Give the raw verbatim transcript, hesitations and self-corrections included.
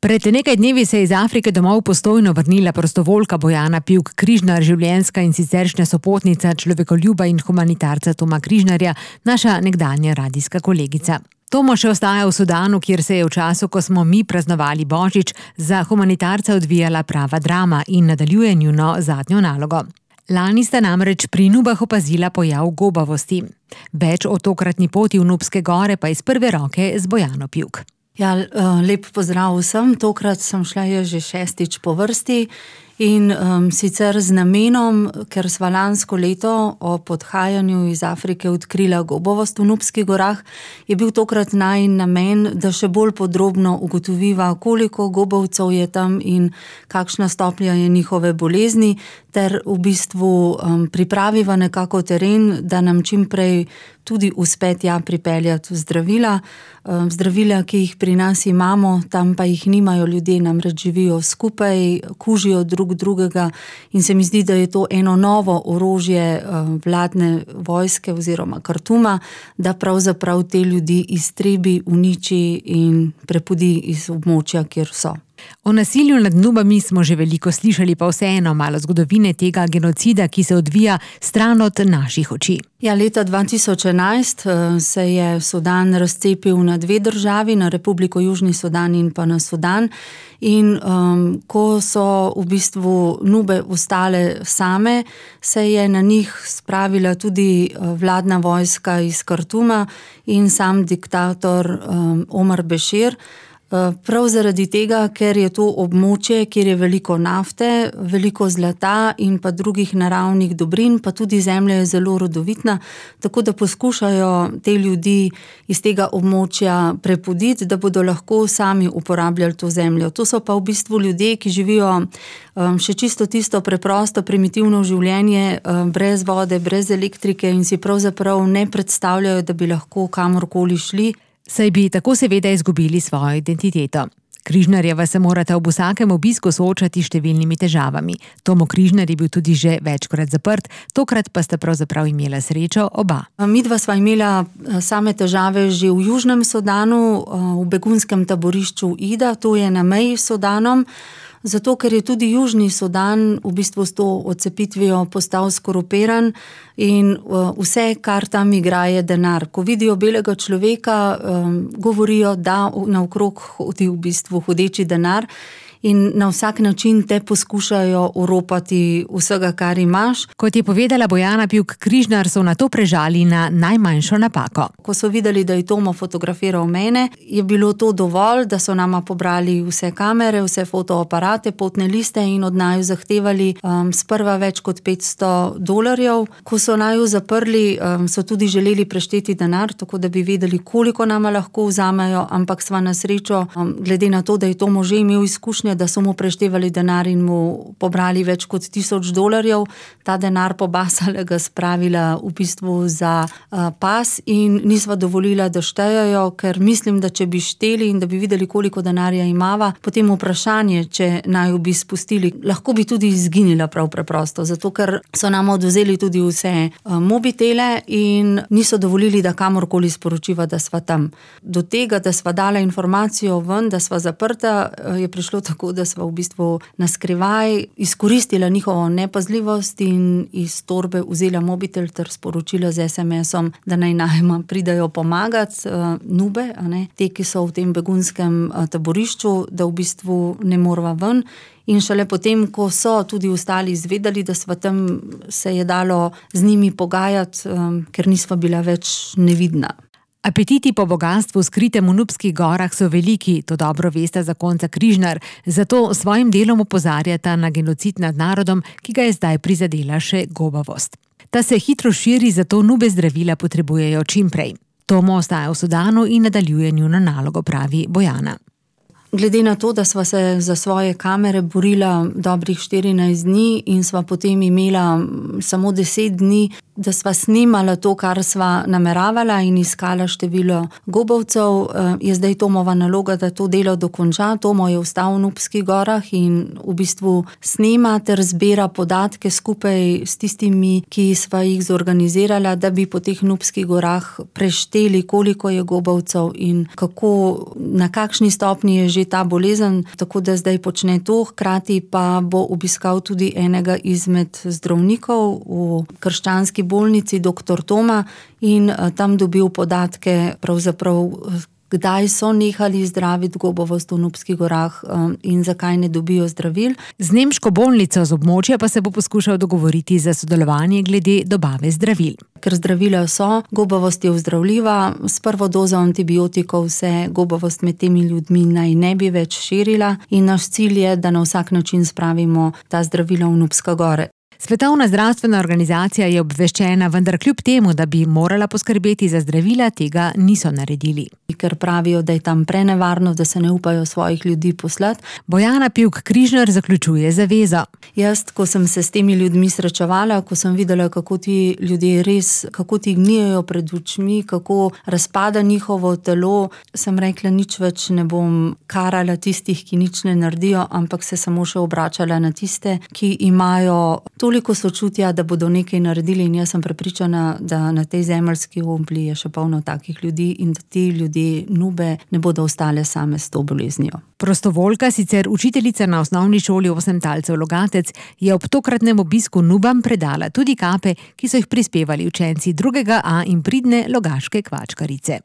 Pred nekaj dnevi se je iz Afrike domov postojno vrnila prostovoljka Bojana Pivk Križnar, življenjska in siceršnja sopotnica človekoljuba in humanitarca Toma Križnarja, naša nekdanja radijska kolegica. Tomo še ostaja v Sudanu, kjer se je v času, ko smo mi praznovali Božič, za humanitarca odvijala prava drama in nadaljuje njuno zadnjo nalogo. Lani sta namreč pri Nubah opazila pojav gobavosti. Več o tokratni poti v Nubske gore pa iz prve roke z Bojano Pivk. Ja, lep pozdrav vsem. Tokrat sem šla že šestič po vrsti in um, sicer z namenom, ker sva lansko leto ob odhajanju iz Afrike odkrila gobavost v Nubskih gorah, je bil tokrat najin namen, da še bolj podrobno ugotoviva, koliko gobavcev je tam in kakšna stopnja je njihove bolezni, ter v bistvu um, pripraviva nekako teren, da nam čim prej tudi uspe tja pripeljati zdravila. Um, zdravila, ki jih pri nas imamo, tam pa jih nimajo ljudje, namreč živijo skupaj, kužijo drug drugega in se mi zdi, da je to eno novo orožje um, vladne vojske oziroma Kartuma, da pravzaprav te ljudi iztrebi, uniči in prepudi iz območja, kjer so. O nasilju nad Nubami smo že veliko slišali, pa vseeno malo zgodovine tega genocida, ki se odvija stran od naših oči. Ja, leta dva tisoč enajst se je Sudan razcepil na dve državi, na Republiko Južni Sudan in pa na Sudan. In um, ko so v bistvu Nube ostale same, se je na njih spravila tudi vladna vojska iz Kartuma in sam diktator um, Omar Bešir. Prav zaradi tega, ker je to območje, kjer je veliko nafte, veliko zlata in pa drugih naravnih dobrin, pa tudi zemlja je zelo rodovitna, tako da poskušajo te ljudi iz tega območja prepuditi, da bodo lahko sami uporabljali to zemljo. To so pa v bistvu ljudje, ki živijo um, še čisto tisto preprosto, primitivno življenje, um, brez vode, brez elektrike in si pravzaprav ne predstavljajo, da bi lahko kamorkoli šli. Saj bi tako seveda izgubili svojo identiteto. Križnarjeva se morata ob vsakem obisku soočati s številnimi težavami. Tomo Križnar je bil tudi že večkrat zaprt, tokrat pa sta pravzaprav imela srečo oba. Midva sva imela same težave že v Južnem Sudanu, v begunskem taborišču Ida, to je na meji s Sudanom, zato ker je tudi Južni Sudan v bistvu s to odcepitvijo postal skorupiran in vse, kar tam igra, je denar. Ko vidijo belega človeka, um, govorijo, da naokrog hodi v bistvu hodeči denar in na vsak način te poskušajo oropati vsega, kar imaš. Kot je povedala Bojana Pivk Križnar, so na to prežali na najmanjšo napako. Ko so videli, da je Tomo fotografiral mene, je bilo to dovolj, da so nama pobrali vse kamere, vse fotoaparate, potne liste in od naju zahtevali um, sprva več kot petsto dolarjev. Ko so naju zaprli, um, so tudi želeli prešteti denar, tako da bi vedeli, koliko nama lahko vzamejo, ampak sva na srečo, um, glede na to, da je Tomo že imel izkušnje, da so mu preštevali denar in mu pobrali več kot tisoč dolarjev, ta denar pobasalega spravila v bistvu za uh, pas in nisva dovolila, da štejajo, ker mislim, da če bi šteli in da bi videli, koliko denarja imava, potem vprašanje, če naj bi spustili, lahko bi tudi izginila prav preprosto, zato ker so nam odvzeli tudi vse uh, mobitele in niso dovolili, da kamorkoli sporočiva, da sva tam. Do tega, da sva dala informacijo ven, da sva zaprta, uh, je prišlo tako, da sva v bistvu na skrivaj izkoristila njihovo nepazljivost in iz torbe vzela mobitel ter sporočila z es em esom, da naj nama pridajo pomagati uh, Nube, a ne, te, ki so v tem begunskem uh, taborišču, da v bistvu ne morva ven. In šele potem, ko so tudi ostali izvedeli, da sva tam, se je dalo z njimi pogajati, um, ker nisva bila več nevidna. Apetiti po bogastvu skritem v Nubskih gorah so veliki, to dobro veste zakonca Križnar, zato svojim delom opozarjata na genocid nad narodom, ki ga je zdaj prizadela še gobavost. Ta se hitro širi, zato Nube zdravila potrebujejo čim prej. Tomo ostaja v Sudanu in nadaljuje njuno nalogo, pravi Bojana. Glede na to, da sva se za svoje kamere borila dobrih štirinajst dni in sva potem imela samo deset dni da sva snimala to, kar sva nameravala in iskala število gobavcev, je zdaj Tomova naloga, da to delo dokonča. Tomo je ostal v Nubskih gorah in v bistvu snema ter zbira podatke skupaj s tistimi, ki sva jih zorganizirala, da bi po teh Nubskih gorah prešteli, koliko je gobavcev in kako, na kakšni stopnji je že ta bolezen, tako da zdaj počne to, hkrati pa bo obiskal tudi enega izmed zdravnikov v krščanski bolnici, doktor Toma, in tam dobil podatke pravzaprav, kdaj so nehali zdraviti gobavost v Nubskih gorah in zakaj ne dobijo zdravil. Z nemško bolnico z območja pa se bo poskušal dogovoriti za sodelovanje glede dobave zdravil. Ker zdravila so, gobavost je ozdravljiva, s prvo dozo antibiotikov se gobavost med temi ljudmi naj ne bi več širila in naš cilj je, da na vsak način spravimo ta zdravila v Nubske gore. Svetovna zdravstvena organizacija je obveščena, vendar kljub temu, da bi morala poskrbeti za zdravila, tega niso naredili. Ker pravijo, da je tam prenevarno, da se ne upajo svojih ljudi poslati. Bojana Pivk-Križnar zaključuje zavezo. Jaz, ko sem se s temi ljudmi srečevala, ko sem videla, kako ti ljudje res, kako ti gnijejo pred očmi, kako razpada njihovo telo, sem rekla, nič več ne bom karala tistih, ki nič ne naredijo, ampak se samo še obračala na tiste, ki imajo toliko sočutja, da bodo nekaj naredili, in jaz sem prepričana, da na tej zemeljski obli je še polno takih ljudi in da ti ljudje Nube ne bodo ostale same s to boleznijo. Prostovoljka, sicer učiteljica na osnovni šoli Osemtalcev Logatec, je ob tokratnem obisku Nubam predala tudi kape, ki so jih prispevali učenci drugega A in pridne logaške kvačkarice.